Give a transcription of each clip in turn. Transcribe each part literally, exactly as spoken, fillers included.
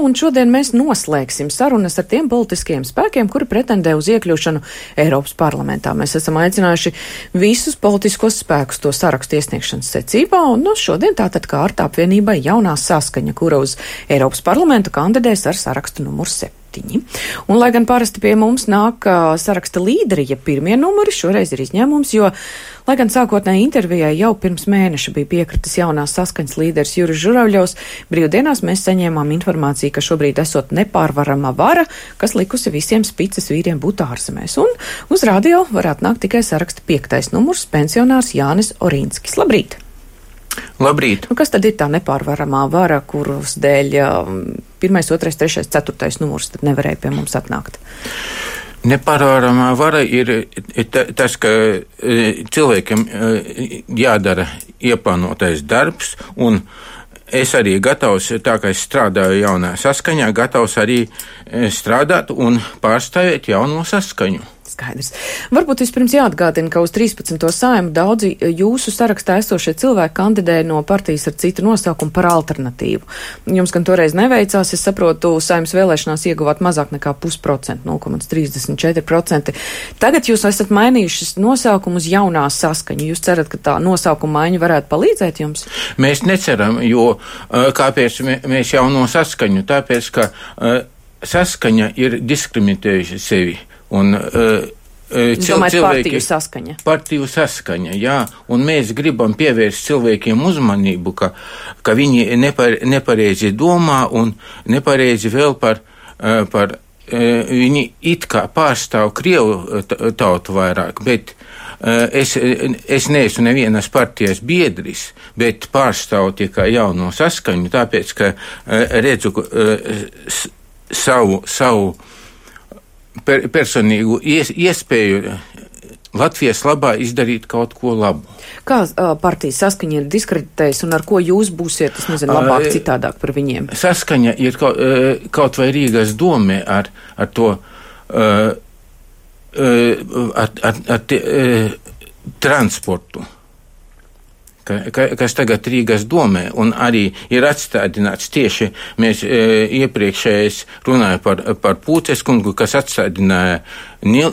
Un šodien mēs noslēgsim sarunas ar tiem politiskiem spēkiem, kuri pretendē uz iekļūšanu Eiropas parlamentā. Mēs esam aicinājuši visus politiskos spēkus to sarakstu iesniegšanas secībā, un no šodien tātad kārta apvienībai Jaunā Saskaņa, kura uz Eiropas parlamentu kandidēs ar sarakstu numuru septiņi. Un, lai gan parasti pie mums nāk uh, saraksta līderi, ja pirmie numuri, šoreiz ir izņēmums, jo, lai gan sākotnēji intervijai jau pirms mēneša bija piekritis Jaunās Saskaņas līderis Juris Žuravļovs, brīvdienās mēs saņēmām informāciju, ka šobrīd esot nepārvarama vara, kas likusi visiem spicas vīriem būt ārzemēs. Un uz radio varētu nākt tikai saraksta piektais numurs, pensionārs Jānis Orīnskis. Labrīt! Labrīt! Un kas tad ir tā nepārvaramā vara, kuras dēļ pirmais, otrais, trešais, ceturtais numurs tad nevarēja pie mums atnākt? Nepārvaramā vara ir tas, ka cilvēkiem jādara ieplānotais darbs, un es arī gatavs, tā kā es strādāju Jaunā Saskaņā, gatavs arī strādāt un pārstāvēt Jauno Saskaņu. Skaidrs. Varbūt vispirms jāatgādina, ka uz trīspadsmito Saeimu daudzi jūsu sarakstā esošie cilvēki kandidēja no partijas ar citu nosaukumu par alternatīvu. Jums gan toreiz neveicās, es saprotu, Saeimas vēlēšanās ieguvāt mazāk nekā pusprocentu, nulle komats trīsdesmit četri procenti. Tagad jūs esat mainījušas nosaukumu uz Jaunā Saskaņu. Jūs cerat, ka tā nosaukuma maiņa varētu palīdzēt jums? Mēs neceram, jo kāpēc mēs Jauno Saskaņu? Tāpēc, ka Saskaņa ir diskriminējuši sevi. Un, uh, Domāju, partiju saskaņa. Partiju saskaņa, jā. Un mēs gribam pievērst cilvēkiem uzmanību, ka, ka viņi nepar, nepareizi domā un nepareizi vēl par, uh, par uh, viņi it kā pārstāv Krievu tautu vairāk, bet uh, es, es neesmu nevienas partijas biedris, bet pārstāvu tikai Jauno Saskaņu, tāpēc, ka uh, redzu uh, savu, savu Per, personīgu ies, iespēju Latvijas labā izdarīt kaut ko labu. Kā uh, partijas Saskaņa ir diskreditējusi un ar ko jūs būsiet, es nezinu, labāk uh, citādāk par viņiem? Saskaņa ir kaut, uh, kaut vai Rīgas domē ar, ar to, uh, uh, ar, ar, ar te, uh, transportu, ka, ka, kas tagad Rīgas domē, un arī ir atstādināts tieši, mēs e, iepriekšējais runāja par, par Pūces kungu, kas atstādināja Nil,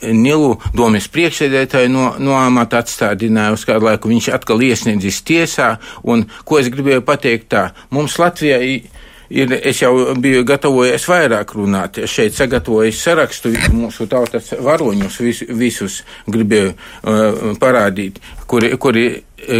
Nilu domes priekšsēdētāju no, no amata atstādināja uz kādu laiku, viņš atkal iesniedzis tiesā, un ko es gribēju pateikt tā, mums Latvijā ir, es jau biju gatavojies vairāk runāt, šeit sagatavojis sarakstu mūsu tautas varoņus, vis, visus gribēju uh, parādīt, kuri, kuri,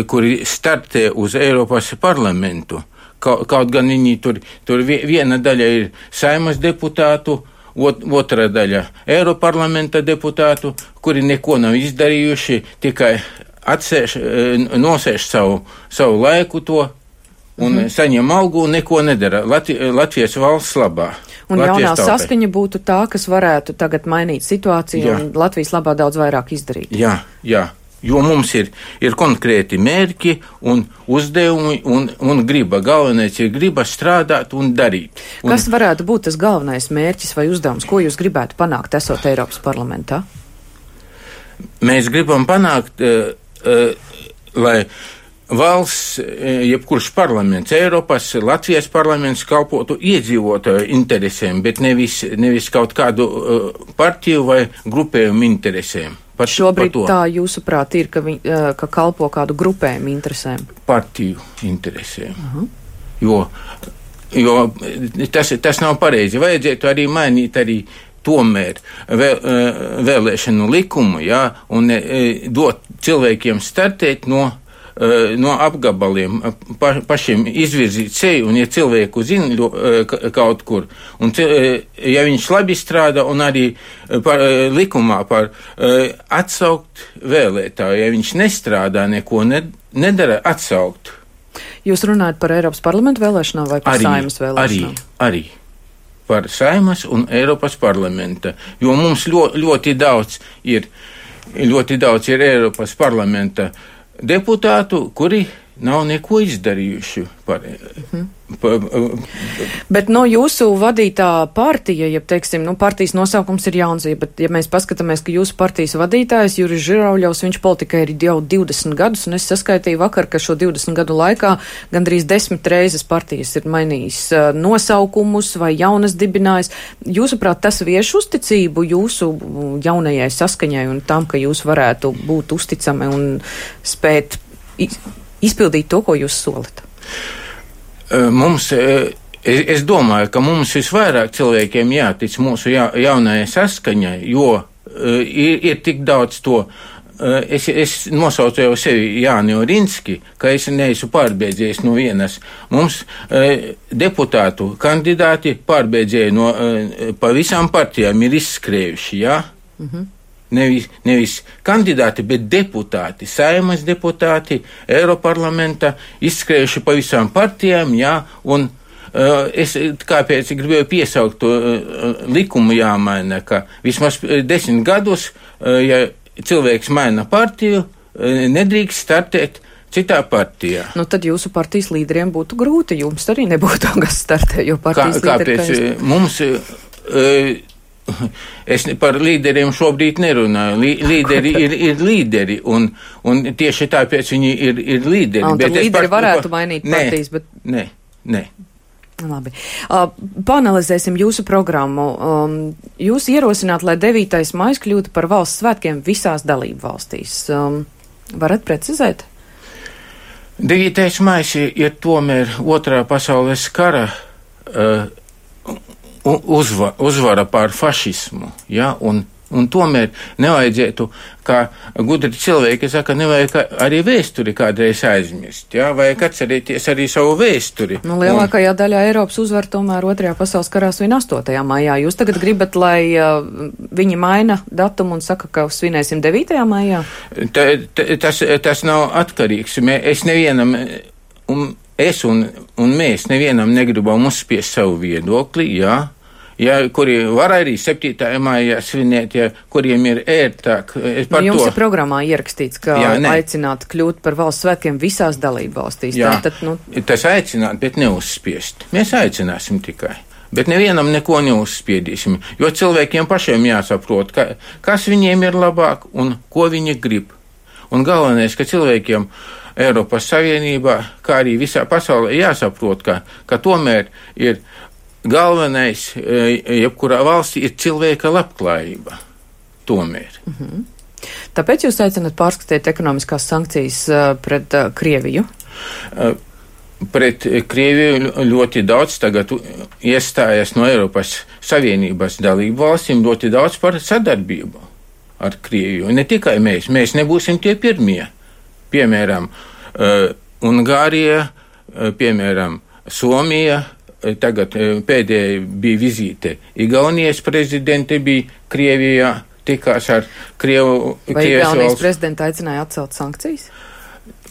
kuri startē uz Eiropas parlamentu. Kaut, kaut gan viņi tur, tur viena daļa ir Saeimas deputātu, ot, otra daļa Eiroparlamenta deputātu, kuri neko nav izdarījuši, tikai atsēž, nosēž savu, savu laiku to, un mm-hmm. saņem algu un neko nedara Latvi, Latvijas valsts labā. Un Latvijas Jaunā tautai. Saskaņa būtu tā, kas varētu tagad mainīt situāciju jā. Un Latvijas labā daudz vairāk izdarīt. Jā, jā, jo mums ir, ir konkrēti mērķi un uzdevumi un, un griba. Galvenais ir griba strādāt un darīt. Un kas varētu būt tas galvenais mērķis vai uzdevums, ko jūs gribētu panākt, esot Eiropas parlamentā? Mēs gribam panākt, uh, uh, lai valsts, jebkurš parlaments, Eiropas, Latvijas parlaments kalpotu iedzīvotāju interesēm, bet nevis, nevis kaut kādu uh, partiju vai grupējumu interesēm. Par, Šobrīd par tā jūsuprāt ir, ka, vi, uh, ka kalpo kādu grupējumu interesēm? Partiju interesēm. Uh-huh. Jo, jo tas, tas nav pareizi. Vajadzētu arī mainīt arī tomēr vēl, vēlēšanu likumu, jā, un dot cilvēkiem startēt no no apgabaliem, pa, pašiem izvirzīt seju, un ja cilvēku zina kaut kur, un ja viņš labi strādā, un arī par, likumā par atsaukt vēlētāju, ja viņš nestrādā, neko nedara, atsaukt. Jūs runājat par Eiropas parlamentu vēlēšanām vai par arī, Saeimas vēlēšanām? Arī, arī. Par Saeimas un Eiropas parlamenta, jo mums ļoti, ļoti daudz ir, ļoti daudz ir Eiropas parlamenta deputātu, kuri nav neko izdarījuši par. Mhm. Pa, bet no jūsu vadītā partija, ja teiksim, nu, partijas nosaukums ir jauns, bet ja mēs paskatāmies, ka jūsu partijas vadītājs Juris Žirauļovs, viņš politikai ir jau divdesmit gadus, un es saskaitīju vakar, ka šo divdesmit gadu laikā gandrīz desmit reizes partijas ir mainījis uh, nosaukumus vai jaunas dibinājis. Jūsuprāt, tas vieš uzticību jūsu jaunajai saskaņai un tam, ka jūs varētu būt uzticami un spēt izpildīt to, ko jūs solat? Mums, es domāju, ka mums visvairāk cilvēkiem jātic mūsu ja, jaunajai saskaņai, jo ir, ir tik daudz to. Es, es nosaucu jau sevi Jāni Orinski, ka es neesmu pārbēdzējis no vienas. Mums deputātu kandidāti pārbēdzēja no pa visām partijām ir izskrējuši, jā? Mhm. Nevis, nevis kandidāti, bet deputāti, Saimas deputāti, Eiroparlamenta, izskrējuši pa visām partijām, jā, un uh, es kāpēc gribēju piesaukt to uh, likumu jāmaina, ka vismaz desmit gadus, uh, ja cilvēks maina partiju, uh, nedrīkst startēt citā partijā. Nu, tad jūsu partijas līderiem būtu grūti, jums arī nebūtu, kas startē, jo partijas Kā, kāpēc līderi... Kāpēc mums... Uh, Es par līderiem šobrīd nerunāju. Līderi ir, ir līderi, un, un tieši tāpēc viņi ir, ir līderi. Un tad līderi par, varētu par, mainīt ne, partijas, bet... Nē, nē. Labi. Uh, Paanalizēsim jūsu programmu. Um, jūs ierosināt, lai devītais maijs kļūtu par valsts svētkiem visās dalību valstīs. Um, varat precizēt? devītais maijs ir tomēr otrā pasaules kara uh, Uzva, uzvara pār fašismu, ja, un, un tomēr nevajadzētu, kā gudri cilvēki saka, nevajag arī vēsturi kādreiz aizmirst, ja, vajag atcerēties arī savu vēsturi. Nu, lielākajā un, daļā Eiropas uzvar tomēr otrajā pasaules karā svin astotajā maijā. Jūs tagad gribat, lai uh, viņi maina datumu un saka, ka svinēsim devītajā maijā? Ta, ta, tas, tas nav atkarīgs. Mē, es nevienam... Un, Es un, un mēs nevienam negribam uzspiest savu viedokli, jā, ja, kuri var arī septītajā maijā svinēt, ja, kuriem ir ērtāk. Nu, jums to... ir programmā ierakstīts, ka jā, aicināt kļūt par valsts svētkiem visās dalību valstīs. Jā, tā, tad, nu... tas aicināt, bet neuzspiest. Mēs aicināsim tikai. Bet nevienam neko neuzspiedīsim, jo cilvēkiem pašiem jāsaprot, ka, kas viņiem ir labāk un ko viņi grib. Un galvenais, ka cilvēkiem Eiropas Savienībā, kā arī visā pasaulē jāsaprot, ka, ka tomēr ir galvenais, jebkurā valstī, ir cilvēka labklājība. Tomēr. Mhm. Tāpēc jūs aicināt pārskatīt ekonomiskās sankcijas pret uh, Krieviju? Uh, pret Krieviju ļoti daudz tagad iestājas no Eiropas Savienības dalību valstīm, ļoti daudz par sadarbību ar Krieviju. Ne tikai mēs, mēs nebūsim tie pirmie. Piemēram, uh, Ungārija, uh, piemēram, Somija, uh, tagad uh, pēdējā bija vizīte Igaunijas prezidente bija Krievijā, tikās ar Krievu. Vai Igaunijas prezidenta aicināja atcelt sankcijas?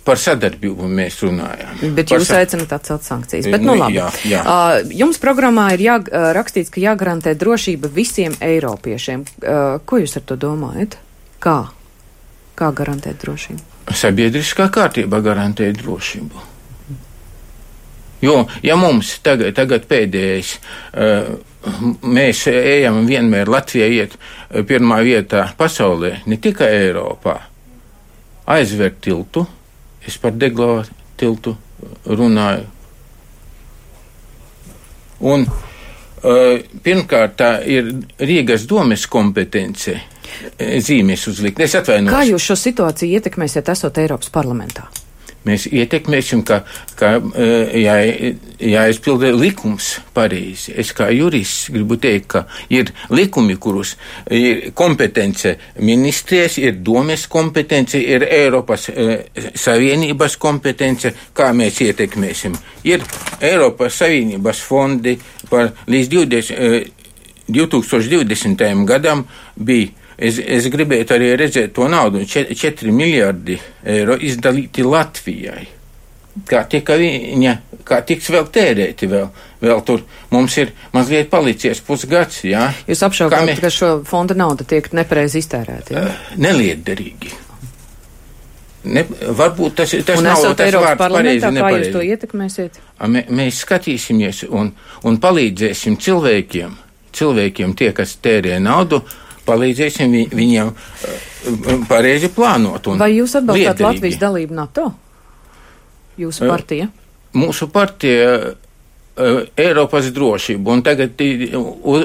Par sadarbību mēs runājām. Bet Par jūs sa... aicināt atcelt sankcijas. Bet, nu labi. Jā, jā. Uh, jums programmā ir jā, uh, rakstīts, ka jāgarantē drošība visiem eiropiešiem. Uh, ko jūs ar to domājat? Kā? Kā garantēt drošību? Sabiedriskā kārtība garantē drošību. Jo, ja mums tagad, tagad pēdējais, uh, mēs ejam vienmēr, Latvija iet pirmā vietā pasaulē, ne tikai Eiropā, aizver tiltu, es par Deglovu tiltu runāju. Un uh, pirmkārt tā ir Rīgas domes kompetence zīmes uzlikt. Es atvainojos. Kā jūs šo situāciju ietekmēsiet, esot Eiropas parlamentā? Mēs ietekmēsim, ka, ka jā, jāizpilda likums pareizi. Es kā jurists gribu teikt, ka ir likumi, kurus ir kompetence ministrijas, ir domes kompetence, ir Eiropas eh, Savienības kompetence, kā mēs ietekmēsim. Ir Eiropas Savienības fondi par līdz divdesmit, eh, divtūkstoš divdesmitajam gadam bija. Es, es gribētu arī redzēt to naudu, četri miljardi eiro izdalīti Latvijai. Kā tika viņa, kā tiks vēl tērēti vēl, vēl tur. Mums ir mazliet palicies pusgads, jā. Jūs apšaubāt, mē... ka šo fonda nauda tiek nepareizi iztērēta, jā? Nelietderīgi. Ne, varbūt tas, tas un nav tas Eiropas vārds pareizi, kā nepareizi. jūs to ietekmēsiet? Mē, mēs skatīsimies un, un palīdzēsim cilvēkiem, cilvēkiem tie, kas tērē naudu, palīdzēsim vi, viņiem uh, pareizi plānot. Un vai jūs atbalstāt liederīgi. Latvijas dalību NATO? Jūsu partija? Uh, mūsu partija Eiropas drošību, un tagad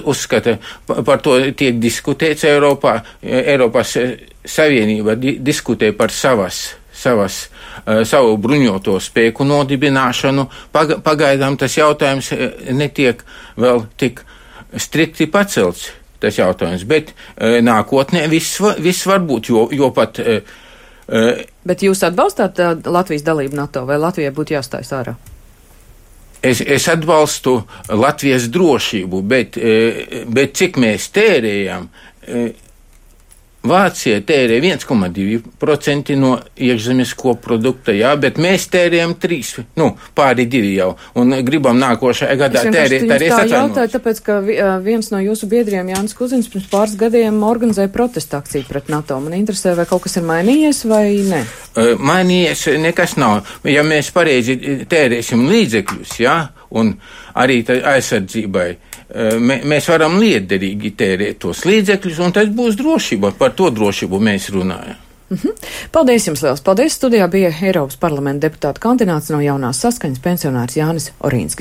uzskata, par to tiek diskutēts Eiropā. Eiropas Savienība diskutē par savas, savas, savu bruņoto spēku nodibināšanu. Pagaidām tas jautājums netiek vēl tik strikti pacelts, tas jautājums, bet nākotnē viss, viss var būt, jo, jo pat. Bet jūs atbalstāt Latvijas dalību NATO, vai Latvijai būtu jāstājas ārā? Es, es atbalstu Latvijas drošību, bet, bet cik mēs tērējam, Vācija tērē viens komats divi procenti no iekšzemes koprodukta, jā, bet mēs tērējam trīs, nu, pāri divi jau, un gribam nākošajā gadā tērēt arī es atvainot. Jautāju, tāpēc, ka viens no jūsu biedriem, Jānis Kuzins, pirms pāris gadiem organizēja protesta akciju pret NATO. Man interesē, vai kaut kas ir mainījies vai ne? Mainījies nekas nav. Ja mēs pareizi tērēsim līdzekļus, jā, un arī aizsardzībai, mēs varam liederīgi tērēt tos līdzekļus, un tas būs drošība. Par to drošību mēs runājam. Mhm. Paldies jums liels. Paldies. Studijā bija Eiropas parlamenta deputāta kandidāts no Jaunās Saskaņas pensionārs Jānis Orīnskis.